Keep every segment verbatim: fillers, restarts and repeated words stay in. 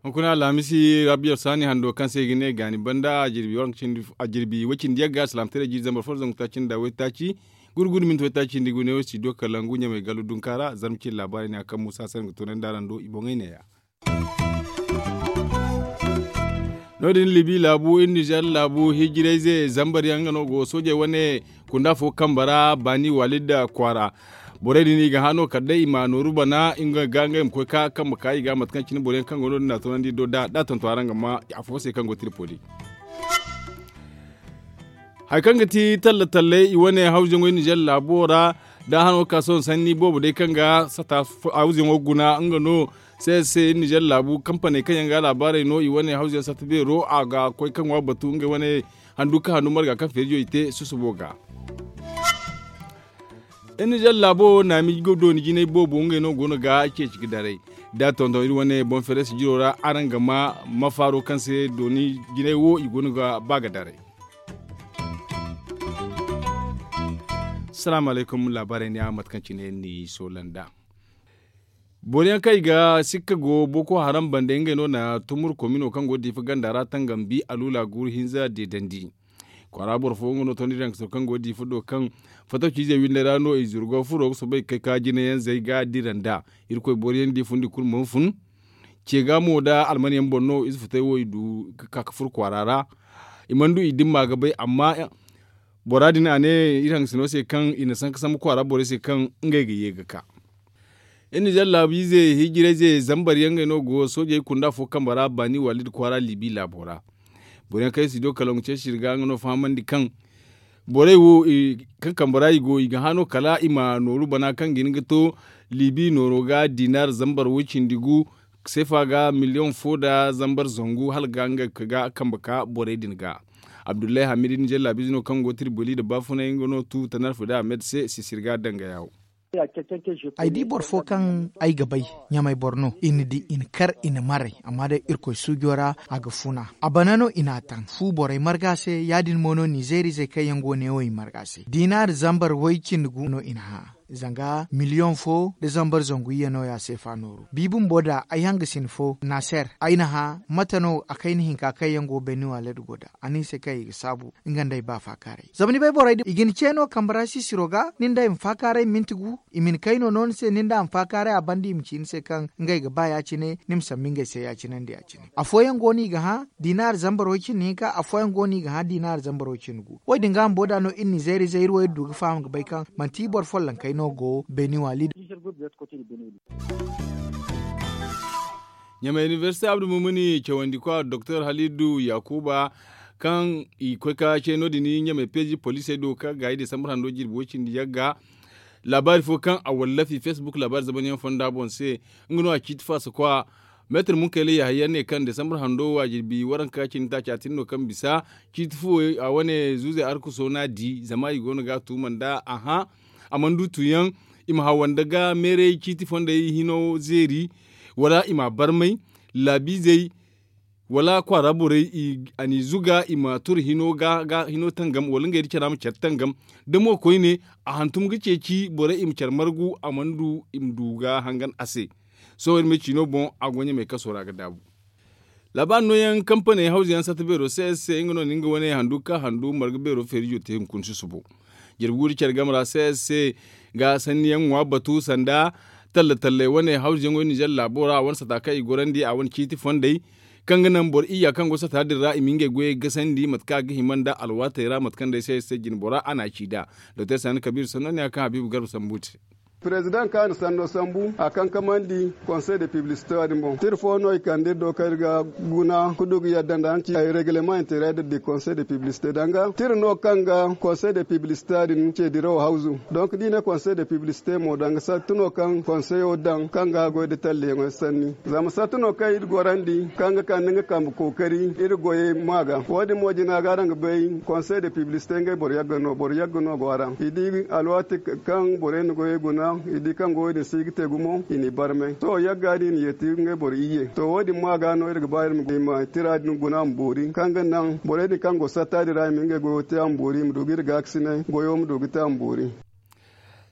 Hunkuna alhamisi rabiyar saani hando kaŋ se i ga ne gaani banda a jirbi waranka cindi a jirbi way-cindi yagga salaamataray jiiri zambar fo da zangu taaci nda waytaaci gurgudu minti waytaaci nda i ga ne wo si do kalangu ɲamay gallu dunka ra zarma cindi laabaarey ne a kaŋ muusa se nga toonandi araŋ do i boŋey ne- ya. No- din libi laabu iri nizer laabu hijirayze zambar yaŋ nga no go soojey wane kunda fo kambe ra baani waalid kwaara. Borey din i ga hã no kala day i ma nooru bana nga ga nga i ma koy ka kambe ka i ga mate kaŋ cine boro yaŋ kaŋ go no- din na toonandi do da da tonton araŋ ga ma afo se kaŋ go tiripoli. Hari kaŋ ga ti talla talley i wane hawzuyaŋo iri nizer laabo ra da hano ga ka sohõ sanni boobo day kaŋ ga sata hawzuyaŋo guna nga no se se iri nizer laabu kampaney kaŋ yaŋ ga laabaarey no i wane hawzuyaŋ sata beero a ga koy ka ŋwa batu ngey wane handu ka handu marga kaŋ feerijo i te susubo ga. Iri nizer laabo naami dooni jinay boobo ngey no go no ga ceeci ga daray da tonton iri wane boŋ fereesi jiro ra araŋ ga ma mafaaro kaŋ se dooni jinay wo i go no ga ba ga daray. Salaamu alaykum laabaarey ne a mate kaŋ cine ni soola nd'a. Boro yaŋ kaŋ i ga sikka go boko haram bande ngey no na tumur komino kaŋ go diifa ganda ra tangam bi aluula guuru hinza deedandi. Kwaara boro fo nga no tondi daŋ kaŋ go diifa do kaŋ fatawciizey windey ra no i zuru go furo ga soobay ga kay ka jinayaŋ zay ga dira nd'a. Irkoy boro yaŋ di fundi kulu mana fun. Ce ga mo nda alman yaŋ boŋ no ize futay wo i du ga ka ga furo kwaara ra. I mana du i dimma ga bay amma bora din a ne iri hangasino se kaŋ i na sanka sambu kwaara borey se kaŋ ngey ga ye ga ka. Iri nizer laabiize hijirayze zambar yaŋ ngey no go soojey kunda fo kambe ra baani waalid kwaara liibi laabo ra. Boro yaŋ kaŋ ay si do kalaŋ ceeci iri ga nga no fahamandi kaŋ borey wo kaŋ kambe ra i go i ga hã no kala i ma nooru bana kaŋ ga hin ga to liibi nooro ga diinaar zambar way cindi gu seefa ga miliyoŋ fo nda zambar zangu hala ga nga ga kambe ka borey din ga. Abdullahi hamid nizer laabiize no kaŋ go tiriboli nda baafunay nga no tu tanar fida ahmed se sisir ga danga yaawo. Ay di boro fo kaŋ ay ga bay ɲamay boro no i na di i na kar i na maray amma day irkoy suujo ra a ga funa a bana no i n'a taŋ fu borey marga se ya- din mo no nizeerizey kaŋ yaŋ go neewo i marga se diinaari zambar way cindi gu no i na hã. Zanga miliyoŋ fo nda zambar zangu iyye no- ya seefa nooru bi bumbo da ay hangasin fo naaser ay na hã mate no a kayna hinka kaŋ yaŋ go beeni waaleed go nd'a a ne i se kaŋ i ga saabu nga nda ay ba faakaaray zama ni bay borey din i ga ni ce no kambe ra sisiro ga nin da ay ma faakaaray minti gu i ma ni kayno no ni se nin da a ma faakaaray a banda i ma ci ni se kaŋ ngey ga ba ya- cine ni ma sambu ngey se ya- cine nda ya- cine afooyaŋ go no i ga hã diinaari zambar way cindi hinka afooyaŋ go no i ga hã diinaari zambar way cindi gu wo- din ga bumbo da no iri nizeerizey iri wo iri du ga faham ga bay kaŋ manti boro follonkey no go beeni waali din. Ɲamay inibersite abdu mumuni cawandi kwa doktor halidu yakuba kaŋ i koy ka ce no- din ɲamay peeji poliisey do kaŋ ga i desambar hando jirbi way cindi yagga. Laabaari fo kaŋ a wallafi facebook laabaari zamanyaŋ fonda boŋ se nga no a ciiti faasa kwa meetar munkayla yahaya ne kaŋ desambar hando wo a jirbi waranka cindi taaci a tin no kaŋ bisa ciiti fuwo a wane zuuzey arkuso no a di zama i go no ga a tuuma nda a hã a mana du tuuyaŋ i ma hawanda ga meeray ciiti fondey hino zeeri wala i m'a barmay laabiizey wala kwaara borey a n'i zuga i ma turu hino ga hino tangam wala ngey nda care ma care tangam da mo koyne a hantum ga ceeci borey i ma care margu a mana du i ma du ga hangan a se. Sohõ iri ma ay ciino boŋ a go ɲamay kaso ra ga daabu. Laabaari nooyaŋ kampaney hawza yaŋ satta beero se se nga no na nga wane handu ka handu marga beero feerijo te hunkuna susubo. Jirbi guuru care game ra se se ga sanni yaŋ ŋwa batu sanda talla talley wane hawza yaŋo ninzeer laabo ra a wane sata kaŋ i gorandi a wane ciiti fondey kaŋ ga naŋ boro iyya kaŋ go sata din ra i ma ngey goyey gasandi mate kaŋ a ga hima nda alwaatey ra mate kaŋ day se se jine bora a n'a ci nd'a. Doktor sani kabiir sanno ne a kaŋ habiibu garba sambu te. Perezidaŋ kaŋ a na sanno sambu a kankamandi konsey de piblisite wo- din boŋ tira fo no i kande iri do kaŋ iri ga guna ka du ga yadda nda a na ci ay regleman intereer de konsey de piblisite danga tira no kaŋ ga konsey de piblisite din ce dirawo hawzu. Donk da i ne konsey de piblisite mo danga sarti no kaŋ konseyo daŋ kaŋ ga goy nda talliyaŋo sanni. Zama sarti no kaŋ iri gorandi kaŋ ga kande nga kambe kookari iri goyey ma ga wo- din mo jina ga araŋ ga bay konsey de piblisite ngey boro yagga no boro yagga no go a ra i di alwaati kaŋ borey na goyey guna. I di kaŋ goyo din si ga te gumo i n'i barmay to yagga din i ye ti ngey boro iyye to wo- din mo a ga no iri ga ba iri ma tira din guna ma boori kaŋ ga naŋ borey din kaŋ go satta din ra i ma ngey goyo te a ma boori i ma du ga iri gaakasinay goyo ma du ga te a ma boori.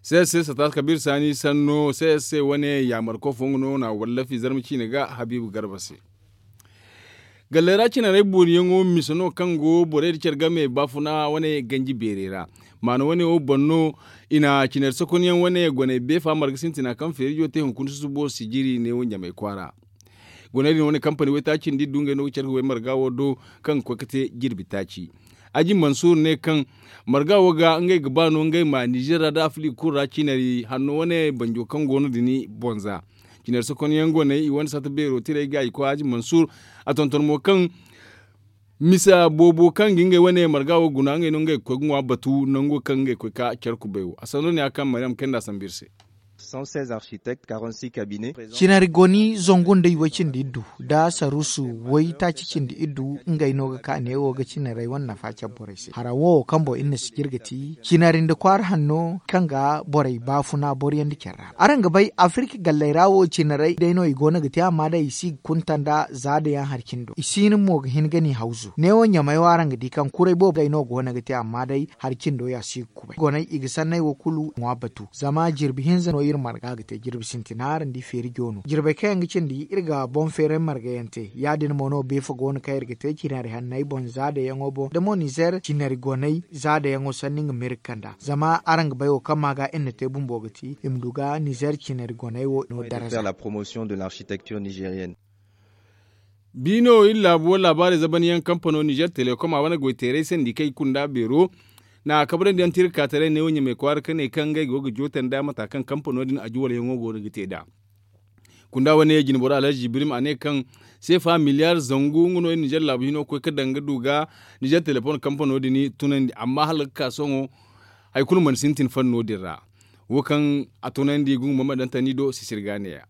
Sese sata kabiir saani sanno sese wane yaamar koofo nga no na wallafi zarma ciine ga habiibu garba se. Galley ra cinarey booriyaŋo mise no kaŋ go borey nda care game baafuna wane ganji beerey ra. Maana wane wo boŋ no i na cinari sokonyaŋ wane goney beefa marga sintina kaŋ feerijo te hunkuna susubo sijiri neewo ɲamey kwaara. Goney din wane kampani waytaaci nda iddu ngey no ga care ga way marga wo do kaŋ ga koy ga te jirbi taaci. Aji mansuur ne kaŋ marga wo ga ngey ga ba no ngey ma nizeer ra nda afirika kulu ra cinari hanno wane banjo kaŋ go no din boŋ za. Cinari sokonyaŋ goney i wane sata beero tirey ga i koy aji mansuur. A tonton mo kaŋ misa boobo kaŋ ga ngey wane marga wo guna ngey no ngey ga koy ga ŋwa batu nango kaŋ ngey ga koy ka care kubay wo a sanno ne ya kaŋ maryam kayna nda a sambu iri se. Cinari goni zangu nda i way cindi iddu nda saruusu way taaci cindi iddu ngey no ga ka neewo ga cinarey wane nafa care borey se hara wo kaŋ boŋ iri na sijir ga ti cinari nda kwaara hanno kaŋ ga borey baafuna boro yaŋ nda care ra araŋ ga bay afirika galley ra wo cinarey day no i go no ga te amma day i si ga kunta nda za da yaŋ hari cindo i si hin mo ga hin ga ni hawzu neewo ɲamey wo araŋ ga di kaŋ kuray boobo ngey no go no ga te amma day hari cindo ya si ga kubay goney i ga sanney wo kulu ŋwa batu zama jirbi hinza no iri marga ga te jirbi sintina araŋ di feeri joono jirbey kaŋ yaŋ ga cindi iri ga boŋ feeray marga yaŋ te ya- din mo no beefa go no kaŋ iri ga te cinari hanney boŋ za da yaŋo boŋ da mo nizeer cinari goney za da yaŋo sanni nga ma iri ga kand'a zama araŋ ga bay wo kaŋ ma ga iri na te bumbo ga ti i ma du ga nizeer cinari goney wo no daraza. Biino iri laabu wo laabaarey zabanyaŋ kampano nizeer telekom a wane goyteeray sandi kaŋ i kunda beero na kabrandi yaŋ te iri ga ka taray neewo ɲamey kwaara ka ne kaŋ ngey go ga jootandi a mata kaŋ kampano din ajuwalyaŋo go no ga te nd'a. Kunda wane jinboro alhazi jibirim a ne kaŋ seefa miliyaar zangu nga no iri nizeer laabu hino ga koy ga daŋ ga du ga nizeer telekom kampano din tunandi amma hala ga ka sohõ hari kulu mana sintin fanno din ra. Wo kaŋ a tunandi gungu mama daŋ tani do sisir ga ne- ya.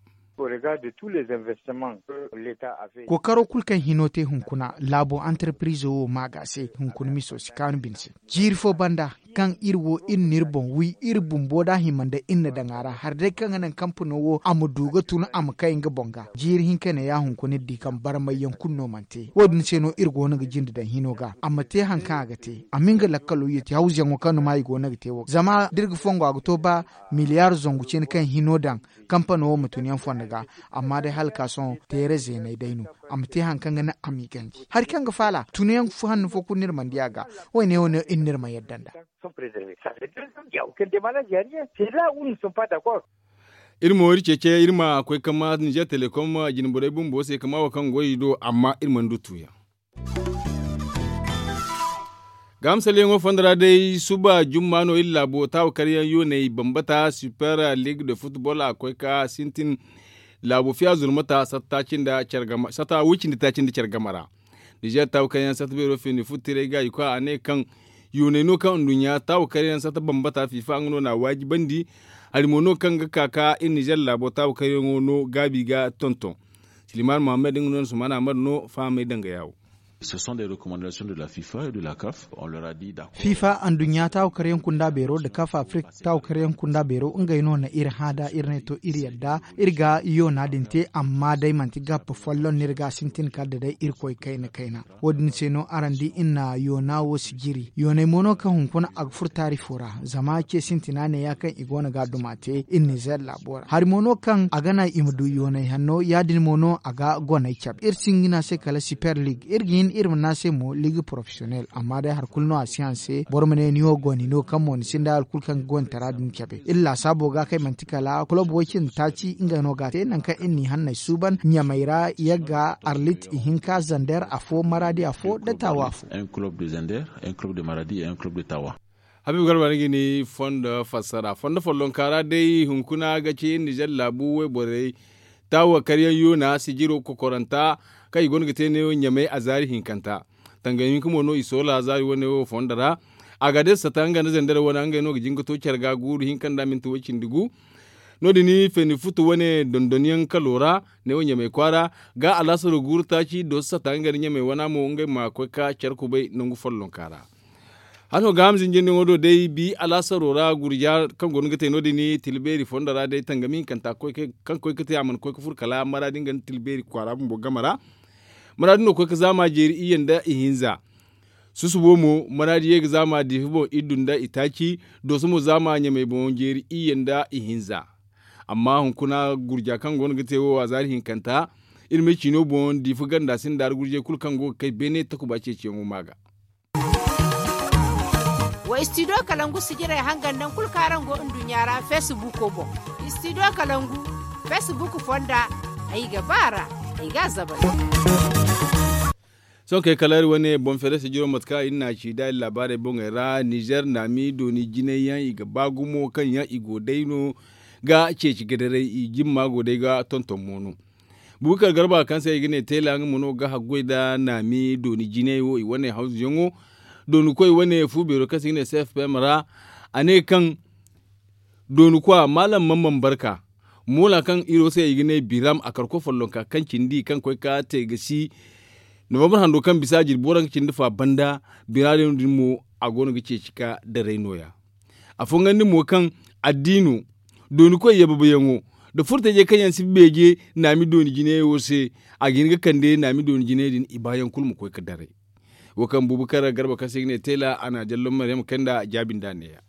Kookaro kulu kaŋ hino te hunkuna laabo antarpirizo wo ma ga se hunkuna miso si kaanu bine se. Jiiri fo banda kaŋ iri wo iri n'iri boŋ wi iri bumbo da hima nda iri na daŋ a ra hari day kaŋ ga naŋ kampano wo a ma du ga tun a ma kay nga boŋ ga jiiri hinka ne ya hunkuna iri di kaŋ barmayyaŋ kulu no mana te wo- din se no iri go no ga jinde daŋ hino ga a ma te hari kaŋ a ga te a ma nga lakkalo yeti hawzuyaŋo kaŋ no ma i go no ga te wo ga zama da iri ga fongo a ga to ba miliyaar zangu cine kaŋ hino daŋ kampano wo ma tun yaŋ fondo ga. Amma day hala ka sohõ teere zeeney day no a ma te hari kaŋ ga naŋ a m'i ganji hari kaŋ ga faala tun yaŋ hanno fo kulu no iri mana di a ga. Wo- ne wo no iri n'iri ma yadda nd'a. Iri mo iri ceece iri ma koy ga ma nizeer telekom jinborey bumbo se ga ma wo kaŋ go i do amma iri mana du tuuyaŋ. Ga misalyaŋo fondo ra day suba jumma no iri laabo taawa karyaŋ yooney bambata super league de football a ga koy ga sintin laabo fiya zurmata satta way cindi taaci nda care game ra. Nizeer taawa karyaŋ satta beero feeni futtiray ga i koy a ne kaŋ yooney no kaŋ nduɲɲa taawa karyaŋ satta bambata fiifa nga no n'a waajibandi. Hari mo no kaŋ ga ka ka iri nizeer laabo taawa karyaŋo no gaabi ga tonton. Siliman muhammad nga no na suman ahmad no fahamey danga yaawo. Fifa anduɲɲa taawa karyaŋ kunda beero nda kaf afirika taawa karyaŋ kunda beero ngey no na iri hã da iri ne to iri yadda iri ga yoona din te amma day manti gabba folloŋ no iri ga sintin kala da day irkoy kayna kayna. Wo- din se no araŋ di iri na yoona wo si jiri yooney mo no kaŋ hunkuna a ga furo taari fo ra zama ce sintina ne ya kaŋ i go no ga a duma te iri nizeer laabo ra hari mo no kaŋ a ga naŋ i ma du yooney hanno ya- din mo no a ga goney cabe iri si hin ga ne a se kala super league iri ga hin iri ma ne a se mo ligue professionel amma day hari kulu no a si haŋ se boro ma ne ni wo goni no kaŋ mo ni sinda hari kulu kaŋ ga gonitara din cabe iri laasaabo ga kaŋ ay manti kala kulob way cindi taaci ngey no ga a te nangu kaŋ iri n'i hanney suuban ɲamey ra yagga arlit ihinka zander afo maradi afo nda taawa afo. Habiibu garba ni ga ni fondo fassara fondo follonka ra day hunkuna ga ci nizer laabu wayborey taawa karyaŋ yoona sijiro kokoranta kaŋ i go no ga te neewo ɲamey a zaari hinkanta. Tangay hinka mo no i soola zaari wane wo fondo ra. Agades sata nga nda zandar wane ngey no ga jin ga to care ga guuru hinka nda minti way cindi gu. No- din feeni futu wane dondonyaŋ kalo ra neewo ɲamey kwaara ga alaasaro guuru taaci dooso sata nga nda ɲamey wana mo ngey ma koy ka care kubay nangu follonka ra. Hano ga hamza njindiŋo do day bi alaasaro ra gurja kaŋ go no ga te no- din tila beeri fondo ra day tangami hinkanta kaŋ koy ga te a mana koy ga furo kala maraadi nga nda tila beeri kwaara bumbo game ra. Maraadi no koy ga zaama jeeri iyye nda ihinza. Susubo mo maraadi ye ga zaama diifa boŋ iddu nda itaaci. Dooso mo zaama ɲamey boŋ jeeri iyye nda ihinza. Amma hunkuna gurja kaŋ go no ga te wo a zaari hinkanta. Iri ma ay ciino boŋ diifa ganda sinda ra gurjey kulu kaŋ go ga kay beene takuba ceeciyaŋo ma ga. Wa istidiyo kalangu sijirey hangan naŋ kulu kaŋ araŋ go nduɲɲa ra feesibuuko boŋ. Istidiyo kalangu feesibuuko fonda. Ay ga ba a ra. Ay ga a zabar. Sohõ kay kala iri wane boŋ feere sijiro mate kaŋ iri n'a ci nd'a iri laabaarey boŋey ra nizer naami dooni jinay yaŋ i ga ba gumo kaŋ yaŋ i go day no ga ceeci gadaray i jimma go day ga tonton mo no. Bubakar garba kaŋ se i ga ne teela nga mo no ga haggoy nda naami dooni jinay wo i wane hawzuyaŋo dooni koy wane fu beero kaŋ se i ga ne cfpm ra. A ne kaŋ dooni kwa maalam mamman barka moola kaŋ iri wo se i ga ne biram a karko follonka kaŋ cindi kaŋ koy ka te ga si novambar hando kaŋ bisa jirbi waranka cindi fa banda bira din mo a go no ga ceeci ka daray no- ya. Afooyaŋ din mo kaŋ addiino dooni koy yababayaŋo nda furtajey kaŋ yaŋ si beeje naami dooni jinayey wo se a ga hin ga kande naami dooni jinayey din i baayaŋ kulu ma koy ga daray. Wo kaŋ buubu kar garba kaŋ se i ga ne teela a na a jallo maryam kay nda a jaabi nda a ne- ya.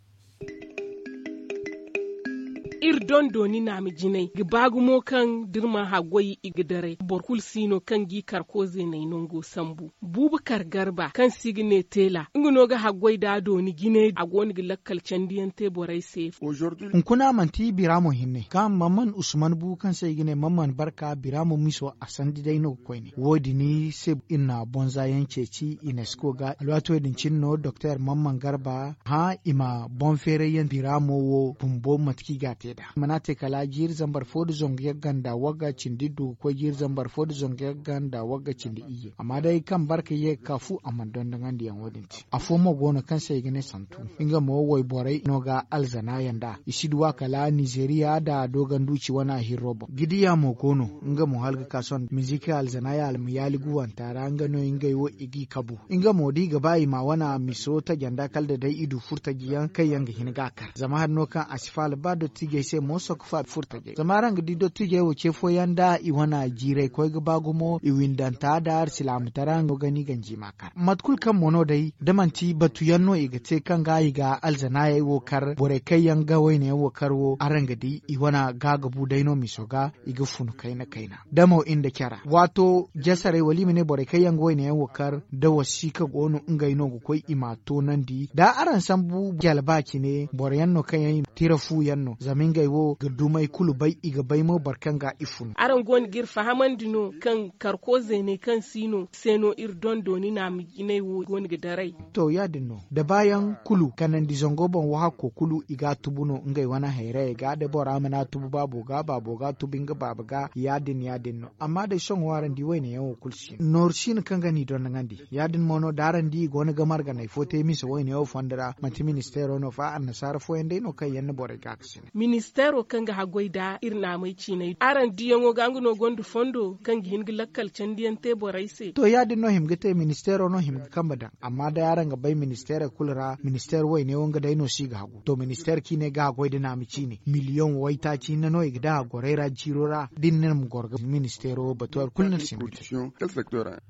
Iri dondo ni naami jinay ga ba gumo kaŋ da iri mana haggoy i ga daray boro kulu si no kaŋ ga i karko zeeney nango sambu. Buubu kar garba kaŋ se i ga ne teela nga no ga haggoy nda a dooni jinay a go no ga lakkal candiyaŋ te borey se. Hunkuna manti bira mo hinne kaŋ mamman usman bu kaŋ se i ga ne mamman barka bira mo miso a sandi day no ga koyne wo- din se iri na bonza yaŋ ceeci unesco ga alwaati wo- din cine no doktor mamman garba hã i ma boŋ feeray yaŋ bira mo wo bumbo mate kaŋ i ga a te nd'a i mana te kala jiiri zambar fo nda zangu yagga nda wagga cindi du ga koy jiiri zambar fo nda zangu yagga nda wagga cindi iyye amma day kaŋ barka ye ga ka fu a mana dondoŋandi yaŋ wo- din te afo mo go no kaŋ se i ga ne santu nga mo wayborey no ga alzana yaŋ nd'a i si duw'a kala nizeriya nda dooganduuci wana hirro boŋ gidiya mo go no nga mo hala ga ka sohõ mizik alzana yaŋ almayaali guwanta ra nga no ngey wo i g'i kabu nga mo da i ga ba i ma wana miso taja nda kala da day i du furtaji yaŋ kaŋ yaŋ ga hin ga a kar zama hari no kaŋ a si faala ba dottijey se mo sokka fa furtajey zama araŋ ga di dottijey wo ce fooyaŋ nda i wana jiiray koy ga ba gumo i windanta nda alsilaamataray no ga ni ganji ma kar mate kulu kaŋ mo no day da manti batuyaŋ no i ga te kaŋ ga i ga alzanaayey wo kar borey kaŋ yaŋ ga wayne yaŋ wo kar wo araŋ ga di i wana gaagabu day no miso ga i ga funu kayna kayna damo nda care ra waato jasaray wala i ma ne borey kaŋ yaŋ ga wayne yaŋ wo kar da wasiika go no ngey no ga koy i m'a toonandi da araŋ sambu jalba cine boro yaŋ no kaŋ yaŋ i ma tira fu yaŋ no zama ngey wo ga dumey kulu bay i ga bay mo boro kaŋ ga i funu araŋ go no ga iri fahamandi no kaŋ karko zeeney kaŋ si no se no iri dondo ni naama jinay wo go no ga daray to ya- din no da baayaŋ kulu kanandi zango boŋ wahakko kulu i ga a tubu no ngey wane hayrayey ga da bora mana a tubu baabo ga baabo ga a tubu nga baaba ga ya- din ya- din no amma day sohõ araŋ di wayne yaŋ wo kulu si no nooru si no kaŋ ga n'i dondoŋandi ya- din mo no da araŋ di i go no ga marganay fo te mise wayne wo fondo ra manti ministeero no fa annasaara fooyaŋ day no kaŋ yaŋ na borey ga a ga sine ministeero kaŋ ga haggoy nda iri naamey ciinay araŋ diyaŋo ga nga no gonda fondo kaŋ ga hin ga lakkal candiyaŋ te borey se to ya- din no hima ga te ministeero no hima ga kambe daŋ amma day araŋ ga bay ministeerey kulu ra ministeer wayne wo nga day no si ga hagu to ministeer ciine ga haggoy nda naama ciine miliyoŋ waytaaci hinne no i ga daŋ a gorey ra jiiro ra da ni ne ma goro ga ministeero batu hari kulu no ni si ma ga te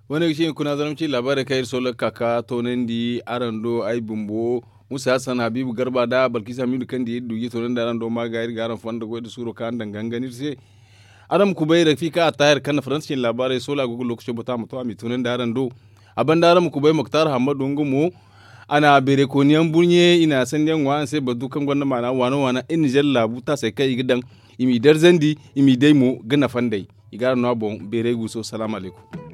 wane ga ci hunkuna zarma ci laabaarey kaŋ iri sohõ ga ka ga toonandi araŋ do ay bumbo musa hassan habiibu garba nda balkiisa hamiidu kaŋ di iri du ga i toonandi araŋ do ma ga iri ga araŋ fonda goy nda suuro kaŋ araŋ daŋ ga hangan iri se araŋ ma kubay rafiika attahir kaŋ na faransa cine laabaarey sohõ a go ga lookaco batu a ma to a m'i toonandi araŋ do a banda araŋ ma kubay moktar hammadu nga mo a na beeray kooniyaŋ burɲe i na sandiyaŋ ŋwa araŋ se batu kaŋ gonda maana waana waana iri nizer laabu taasey kaŋ i ga daŋ i m'i darzandi i m'i day mo ga nafa nd'ey i ga araŋ no a boŋ beeray guuso salaamu alaykum